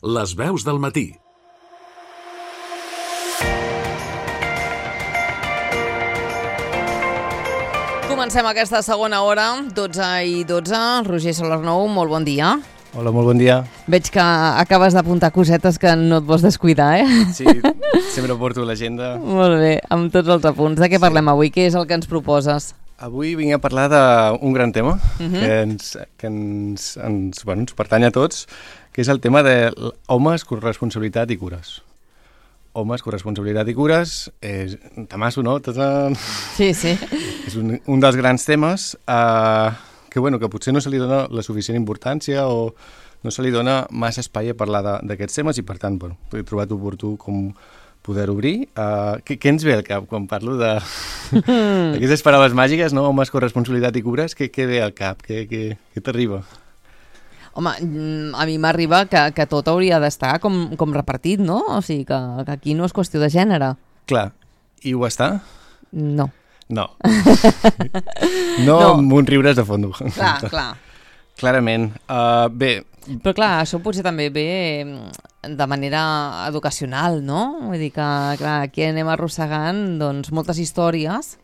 Les veus del matí. Comencem aquesta segona hora, 12:12. Roger Solarnou, molt bon dia. Hola, molt bon dia. Veig que acabes d'apuntar cosetes que no et vols descuidar, Sí, sempre porto l'agenda. Molt bé, amb tots els apunts. De què parlem avui? Què és el que ens proposes? Avui vinc a parlar d'un gran tema que ens pertany a tots, que és el tema de homes, corresponsabilitat i cures. Homes, corresponsabilitat i cures, és un temasso, no? Sí, sí. És un dels grans temes que potser no se li dona la suficient importància o no se li dona massa espai a parlar d'aquests temes i, per tant, he trobat oportú com poder obrir. Què ens ve al cap quan parlo d'aquestes paraules màgiques, no? Homes, corresponsabilitat i cures, què ve al cap? Què t'arriba? Home, a mi m'arriba que tot hauria d'estar com repartit, no? O sigui, que aquí no és qüestió de gènere. Clar. I ho està? No. No. No amb un riures de fondo. Clar. Clarament. Bé. Però clar, això potser també ve de manera educacional, no? Vull dir que, clar, aquí anem arrossegant doncs, moltes històries.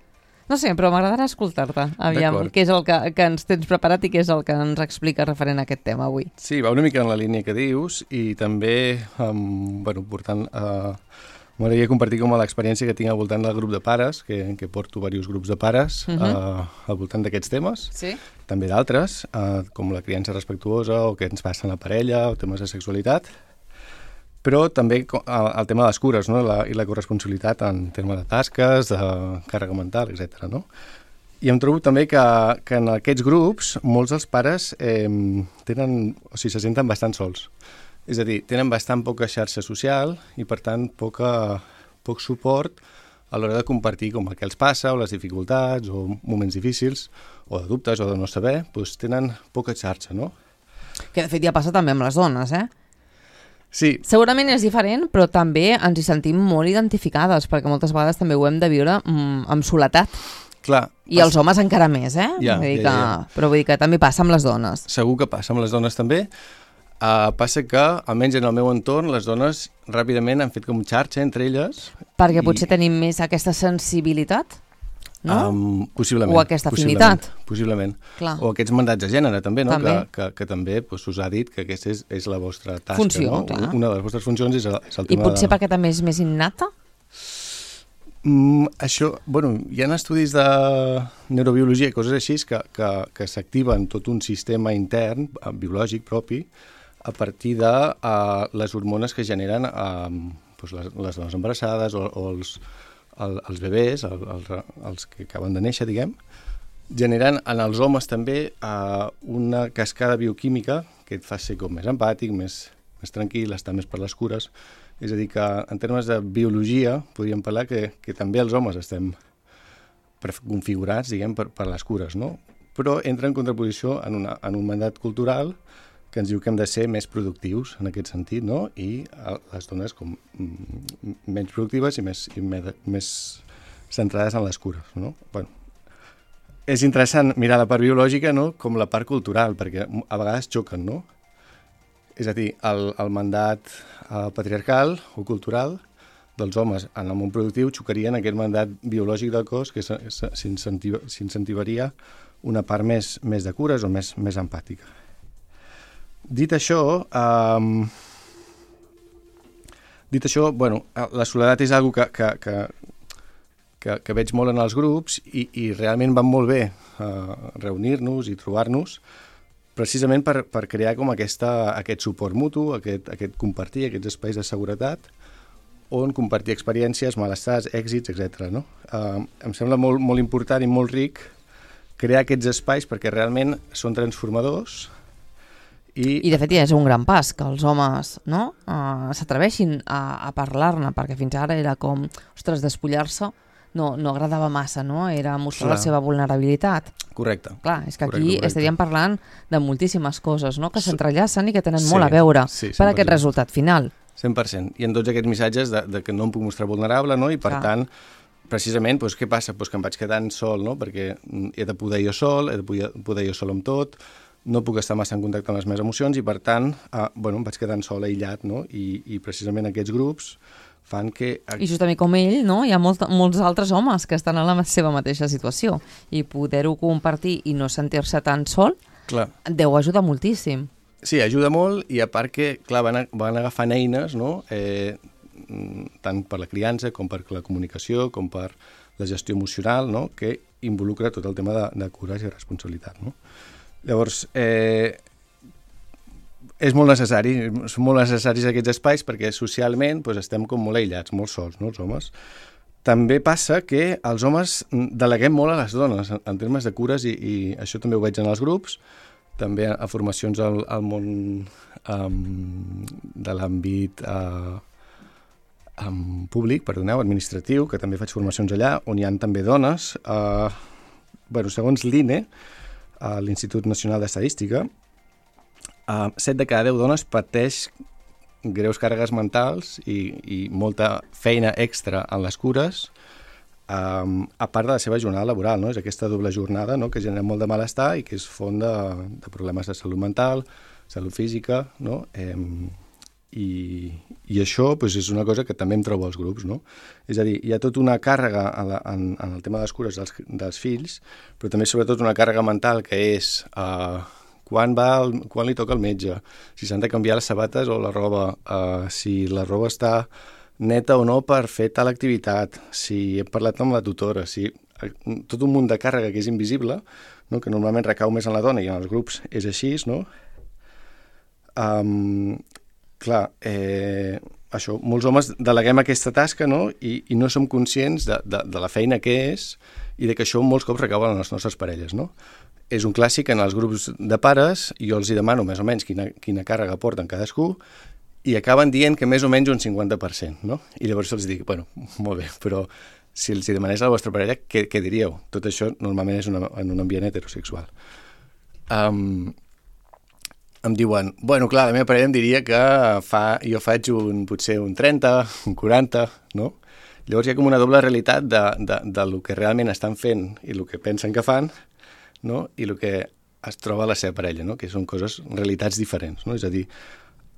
No sé, però m'agradarà escoltar-te. Aviam, què és el que ens tens preparat i què és el que ens explica referent a aquest tema avui. Sí, va una mica en la línia que dius i també, portant... M'agradaria compartir com l'experiència que tinc al voltant del grup de pares, que porto diversos grups de pares al voltant d'aquests temes. Sí. També d'altres, com la criança respectuosa o què ens passa en la parella o temes de sexualitat. Però també el tema de les cures, no? I la corresponsabilitat en termes de tasques, de càrrega mental, etc. No? I em trobo també que en aquests grups molts dels pares se senten bastant sols. És a dir, tenen bastant poca xarxa social i, per tant, poc suport a l'hora de compartir com el que els passa o les dificultats o moments difícils o de dubtes o de no saber, doncs tenen poca xarxa, no? Que, de fet, ja passa també amb les dones, Sí. Segurament és diferent, però també ens hi sentim molt identificades, perquè moltes vegades també ho hem de viure amb soledat. Clar. I els homes encara més, Ja. Però vull dir que també passa amb les dones. Segur que passa amb les dones també. Passa que, almenys en el meu entorn, les dones ràpidament han fet com xarxa entre elles. Perquè potser tenim més aquesta sensibilitat, no? Possiblement. O aquesta afinitat. Possiblement. Clar. O aquests mandats de gènere, també, no? També. Que també us ha dit que aquesta és la vostra tasca, funció, no? Clar. Una de les vostres funcions és el tema I potser perquè també és més innata? Això, hi ha estudis de neurobiologia i coses així que s'activen tot un sistema intern, biològic propi, a partir de les hormones que generen les dones embarassades o els bebès, els que acaben de néixer, diguem, generen en els homes també una cascada bioquímica que et fa ser com més empàtic, més tranquil, estar més per les cures. És a dir, que en termes de biologia podríem parlar que també els homes estem configurats, diguem, per les cures, no? Però entra en contraposició en un mandat cultural que ens diu que hem de ser més productius en aquest sentit, no? I les dones com menys productives i més centrades en les cures, no? És interessant mirar la part biològica, no? Com la part cultural, perquè a vegades xoquen, no? És a dir, el mandat patriarcal o cultural dels homes en el món productiu xocaria en aquest mandat biològic del cos que s'incentivaria una part més de cures o més empàtica. Dit això, la soledat és una cosa que veig molt en els grups i realment van molt bé reunir-nos i trobar-nos precisament per crear com aquest suport mutu, aquest compartir, aquests espais de seguretat on compartir experiències, malestars, èxits, etc. No? Em sembla molt, molt important i molt ric crear aquests espais perquè realment són transformadors. I de fet ja és un gran pas que els homes s'atreveixin a parlar-ne, perquè fins ara era com, ostres, despullar-se no agradava massa, no? Era mostrar la seva vulnerabilitat. Correcte. Clar, és que aquí estaríem parlant de moltíssimes coses, no? Que s'entrellacen i que tenen molt a veure per aquest resultat final. 100%. I en tots aquests missatges de que no em puc mostrar vulnerable, no? I per tant, precisament, què passa? Que em vaig quedant sol, no? Perquè he de poder jo sol, he de poder jo sol amb tot, no puc estar massa en contacte amb les meves emocions i, per tant, em vaig quedant sol, aïllat, no? I precisament aquests grups fan que... I justament com ell, no? Hi ha molts altres homes que estan en la seva mateixa situació i poder-ho compartir i no sentir-se tan sol, clar, deu ajudar moltíssim. Sí, ajuda molt i a part que, clar, van agafant eines, no? Tant per la criança com per la comunicació, com per la gestió emocional, no? Que involucra tot el tema de cures i responsabilitat, no? Llavors, són molt necessaris aquests espais perquè socialment estem com molt aïllats, molt sols, no, els homes. També passa que els homes deleguem molt a les dones en termes de cures i això també ho veig en els grups, també a formacions al món de l'àmbit públic, administratiu, que també faig formacions allà, on hi ha també dones. Segons l'INE, l'Institut Nacional d'Estadística, 7 de cada 10 dones pateix greus càrregues mentals i molta feina extra en les cures, a part de la seva jornada laboral, no? És aquesta doble jornada, no? Que genera molt de malestar i que és font de problemes de salut mental, salut física, no? I això és una cosa que també em trobo als grups, no? És a dir, hi ha tota una càrrega en el tema de les cures dels fills, però també sobretot una càrrega mental que és quan li toca al metge, si s'han de canviar les sabates o la roba, si la roba està neta o no per fer tal activitat, si he parlat amb la tutora, tot un munt de càrrega que és invisible, no? Que normalment recau més en la dona i en els grups és així, no? Clar, això, molts homes deleguem aquesta tasca, no? I no som conscients de la feina que és i de que això molts cops recau en les nostres parelles, no? És un clàssic en els grups de pares, jo els hi demano més o menys quina càrrega porten cadascú i acaben dient que més o menys un 50%, no? I llavors els dic, bueno, molt bé, però si els hi demanés a la vostra parella, què diríeu? Tot això normalment és en un ambient heterosexual. Em diuen, bueno, clar, la meva parella em diria que jo faig potser un 30, un 40, no? Llavors hi ha com una doble realitat del que realment estan fent i el que pensen que fan, no? I el que es troba a la seva parella, no? Que són realitats diferents, no? És a dir,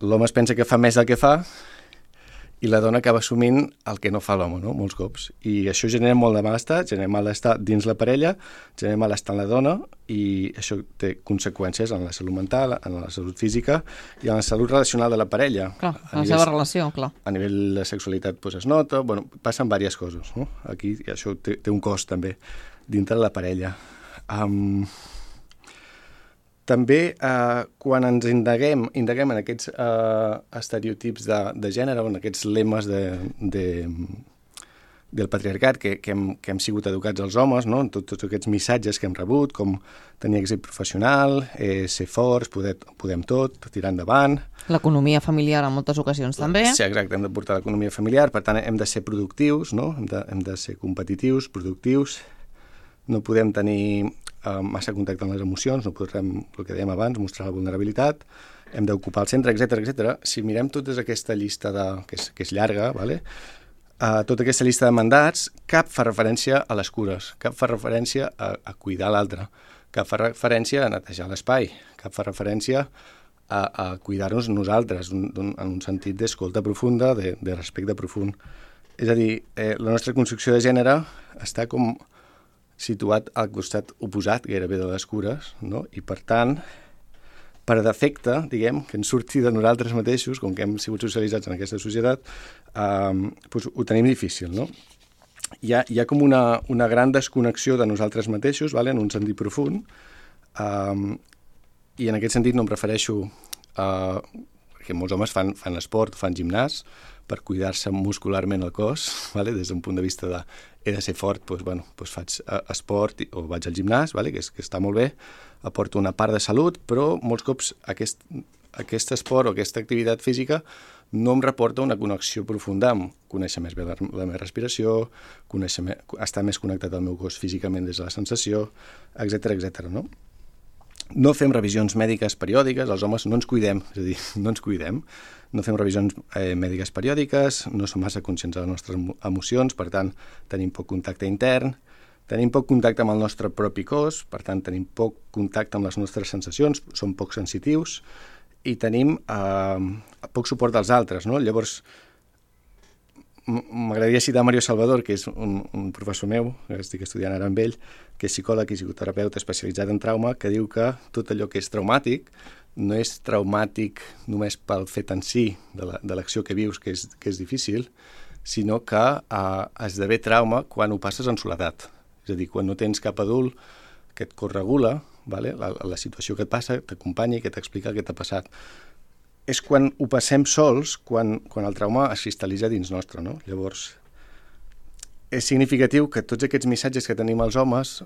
l'home es pensa que fa més del que fa i la dona acaba assumint el que no fa l'home, no? Molts cops. I això genera molt de malestar, genera malestar dins la parella, genera malestar en la dona i això té conseqüències en la salut mental, en la salut física i en la salut relacional de la parella. Clar, en la seva relació, clar. A nivell de sexualitat es nota, passen diverses coses, no? Aquí això té un cost també dintre de la parella. També quan ens indaguem en aquests estereotips de gènere o en aquests lemes del patriarcat que hem sigut educats els homes, no? En tots aquests missatges que hem rebut, com tenir èxit professional, ser forts, podem tot, tirar endavant. L'economia familiar en moltes ocasions també. Sí, exacte, hem de portar l'economia familiar, per tant hem de ser productius, no? Hem de ser competitius, productius. No podem tenir massa contacte amb les emocions, no podrem, el que dèiem abans, mostrar la vulnerabilitat, hem d'ocupar el centre, etc. Si mirem tota aquesta llista, que és llarga, ¿vale? Tota aquesta llista de mandats, cap fa referència a les cures, cap fa referència a cuidar l'altre, cap fa referència a netejar l'espai, cap fa referència a cuidar-nos nosaltres, en un sentit d'escolta profunda, de respecte profund. És a dir, la nostra construcció de gènere està com situat al costat oposat gairebé de les cures, no? I per tant, per defecte, diguem, que ens surti de nosaltres mateixos, com que hem sigut socialitzats en aquesta societat, ho tenim difícil, no? Hi ha com una gran desconnexió de nosaltres mateixos, ¿vale? En un sentit profund, i en aquest sentit no em refereixo que molts homes fan esport, fan gimnàs, per cuidar-se muscularment el cos, ¿vale? Des d'un punt de vista de he de ser fort, faig esport o vaig al gimnàs, ¿vale? que està molt bé, aporto una part de salut, però molts cops aquest esport o aquesta activitat física no em reporta una connexió profunda amb conèixer més bé la meva respiració, estar més connectat al meu cos físicament des de la sensació, etc. No? No fem revisions mèdiques periòdiques, els homes no ens cuidem, és a dir, no ens cuidem, no fem revisions mèdiques periòdiques, no som massa conscients de les nostres emocions, per tant, tenim poc contacte intern, Tenim poc contacte amb el nostre propi cos, per tant, tenim poc contacte amb les nostres sensacions, som poc sensitius i tenim poc suport dels altres, no? Llavors, m'agradaria citar Mario Salvador, que és un professor meu, que estic estudiant ara amb ell, que és psicòleg i psicoterapeuta especialitzat en trauma, que diu que tot allò que és traumàtic no és traumàtic només pel fet en si de l'acció que vius, que és difícil, sinó que esdevé trauma quan ho passes en soledat. És a dir, quan no tens cap adult que et corregula, vale? La situació que et passa, t'acompanya i que t'explica el que t'ha passat. És quan ho passem sols, quan el trauma es cristal·litza dins nostre, no? Llavors, és significatiu que tots aquests missatges que tenim els homes,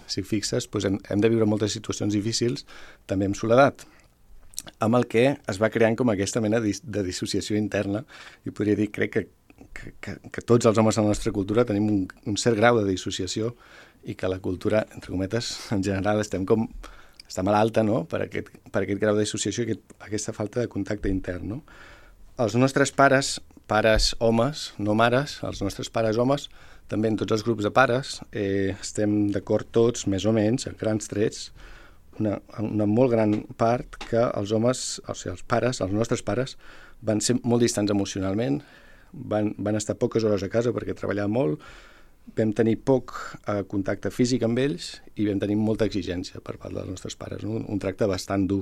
si fixes, doncs hem de viure moltes situacions difícils, també amb soledat, amb el que es va creant com aquesta mena de dissociació interna, i podria dir, crec que tots els homes de la nostra cultura tenim un cert grau de dissociació i que la cultura, entre cometes, en general està malalta, no? per aquest grau de dissociació i aquesta falta de contacte intern. No? Els nostres pares homes, no mares, els nostres pares homes, també en tots els grups de pares, estem d'acord tots, més o menys, a grans trets, una molt gran part que els homes, o sigui, els nostres pares, van ser molt distants emocionalment, van estar poques hores a casa perquè treballaven molt, vam tenir poc contacte físic amb ells i vam tenir molta exigència per part dels nostres pares, no? Un tracte bastant dur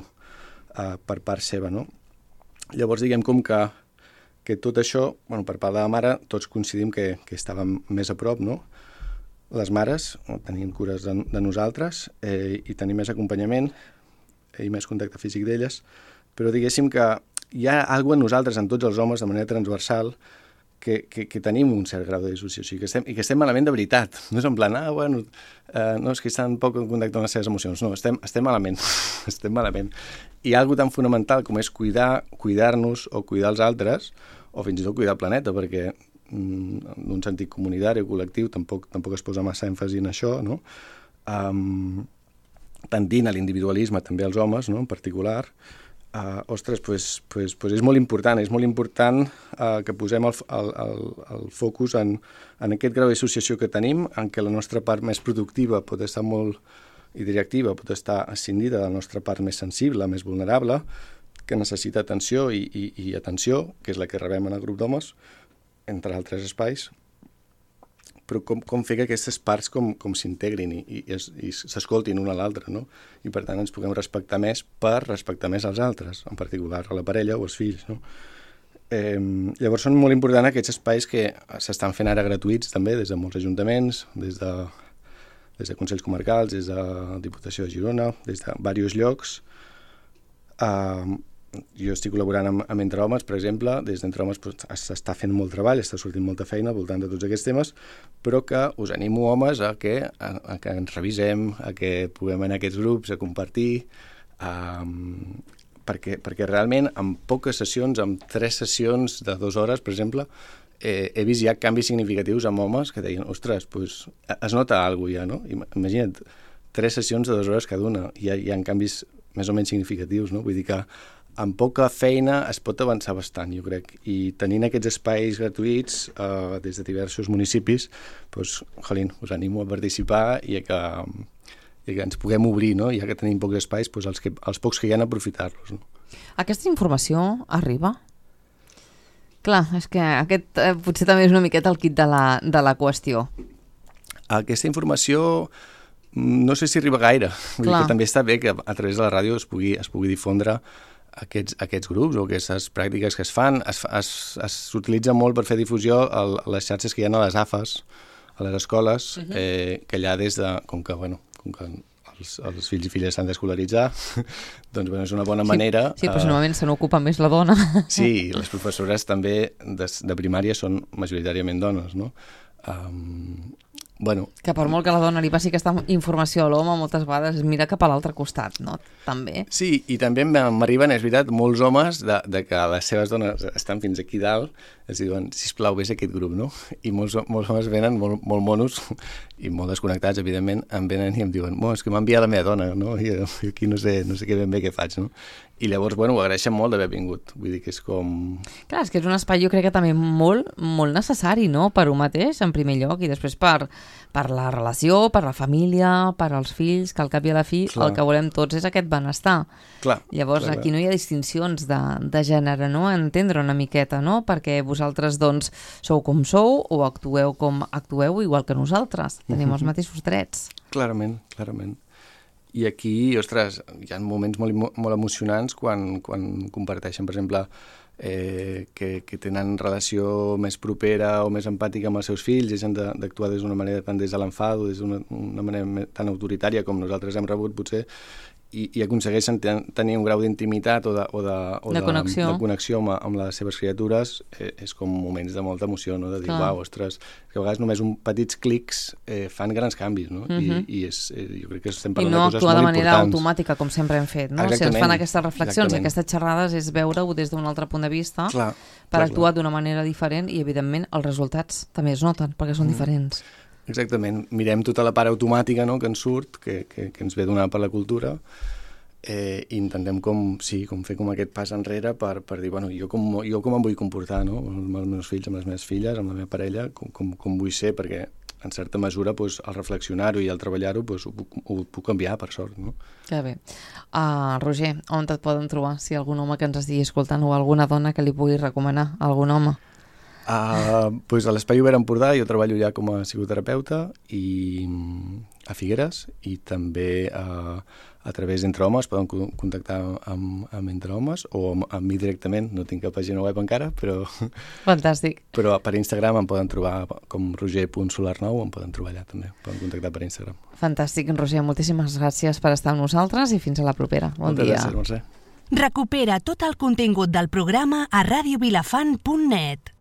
per part seva. No? Llavors, diguem com que tot això, per part de la mare, tots coincidim que estàvem més a prop, no? Les mares tenien cures de nosaltres i tenim més acompanyament i més contacte físic d'elles, però diguéssim que hi ha alguna cosa en nosaltres, en tots els homes, de manera transversal, que tenim un cert grau de dissociació i que estem malament de veritat. No és en plan, no, és que estan poc en contacte amb les seves emocions. No, estem malament. Estem malament. I hi ha alguna tan fonamental com és cuidar-nos o cuidar els altres, o fins i tot cuidar el planeta, perquè en un sentit comunitari o col·lectiu tampoc es posa massa èmfasi en això, no? Tendint a l'individualisme també els homes, no? En particular. Ostres, és molt important que posem el focus en aquest grau d'associació que tenim, en què la nostra part més productiva pot estar molt i directiva, pot estar escindida de la nostra part més sensible, més vulnerable, que necessita atenció i atenció, que és la que rebem en el grup d'homes, entre altres espais, però com fer que aquestes parts com s'integrin i s'escoltin una a l'altra, no? I per tant ens puguem respectar més per respectar més als altres, en particular a la parella o als fills, no? Llavors són molt importants aquests espais que s'estan fent ara gratuïts també des de molts ajuntaments, des de Consells Comarcals, des de la Diputació de Girona, des de diversos llocs. Jo estic col·laborant amb Entre Homes, per exemple. Des d'Entre Homes s'està fent molt treball, està sortint molta feina al voltant de tots aquests temes, però que us animo, homes, a que ens revisem, a que puguem anar a aquests grups, a compartir, perquè realment en poques sessions, en 3 sessions de 2 hores, per exemple, he vist ja canvis significatius amb homes que deien, ostres, es nota alguna cosa ja, no? Imagina't, 3 sessions de 2 hores cada una, hi ha canvis més o menys significatius, no? Vull dir que amb poca feina es pot avançar bastant, jo crec. I tenint aquests espais gratuïts des de diversos municipis, us animo a participar i que ens puguem obrir, no? Ja que tenim pocs espais, els pocs que hi ha, aprofitar-los. No? Aquesta informació arriba? Clar, és que aquest potser també és una miqueta el kit de la qüestió. Aquesta informació no sé si arriba gaire. Vull dir que també està bé que a través de la ràdio es pugui difondre aquests grups o aquestes pràctiques que es fan. S'utilitza molt per fer difusió a les xarxes que hi ha a les AFAs, a les escoles, que allà com que els fills i filles s'han d'escolaritzar, doncs és una bona manera... Sí, però normalment se n'ocupa més la dona. Sí, les professores també de primària són majoritàriament dones, no? Que per molt que la dona li passi aquesta informació a l'home, moltes vegades es mira cap a l'altre costat, no? També. Sí, i també m'arriben, és veritat, molts homes de que les seves dones estan fins aquí dalt, els diuen, sisplau, vés a aquest grup, no? I molts homes venen molt monos i molt desconnectats, evidentment, em venen i em diuen, és que m'ha enviat la meva dona, no? I aquí no sé ben bé què faig, no? I llavors, ho agraeixen molt d'haver vingut. Vull dir que és com... Clar, és que és un espai, jo crec que també molt, molt necessari, no?, per un mateix, en primer lloc, i després per per la relació, per la família, per als fills, que al cap i a la fi el que volem tots és aquest benestar. Llavors aquí no hi ha distincions de gènere, no? Entendre una miqueta, no? Perquè vosaltres doncs sou com sou o actueu com actueu igual que nosaltres. Tenim els mateixos drets. Clarament. I aquí, ostres, hi ha moments molt emocionants quan comparteixen, per exemple, que tenen relació més propera o més empàtica amb els seus fills, deixen d'actuar d'actuar d'una manera tant des de l'enfado, des d'una manera tan autoritària com nosaltres hem rebut, potser, i aconsegueixen tenir un grau d'intimitat o de connexió amb les seves criatures, és com moments de molta emoció, no? De dir, uau, ostres, que a vegades només petits clics fan grans canvis, no? I jo crec que estem parlant de coses molt importants. I no actuar de manera automàtica, com sempre hem fet, no? Si ens fan aquestes reflexions i aquestes xerrades és veure-ho des d'un altre punt de vista per actuar d'una manera diferent i, evidentment, els resultats també es noten perquè són diferents. Exactament. Mirem tota la part automàtica, no?, que ens surt, que ens ve donada per la cultura, i intentem fer com aquest pas enrere per dir, bueno, jo com em vull comportar, no?, amb els meus fills, amb les meves filles, amb la meva parella, com vull ser, perquè en certa mesura al reflexionar-ho i al treballar-ho ho puc canviar, per sort, no? Que bé. Roger, on et poden trobar? Si hi ha algun home que ens estigui escoltant o alguna dona que li pugui recomanar, algun home? A l'Espai Obert Empordà jo treballo ja com a psicoterapeuta a Figueres, i també a través d'Entre Homes poden contactar amb Entre Homes o amb mi directament, no tinc cap pàgina web encara, però... Fantàstic. Però per Instagram em poden trobar com roger.solar9, em poden trobar allà també, poden contactar per Instagram. Fantàstic, Roger, moltíssimes gràcies per estar amb nosaltres i fins a la propera. Bon dia. Moltes gràcies, Mercè. Recupera tot el contingut del programa a radiovilafant.net.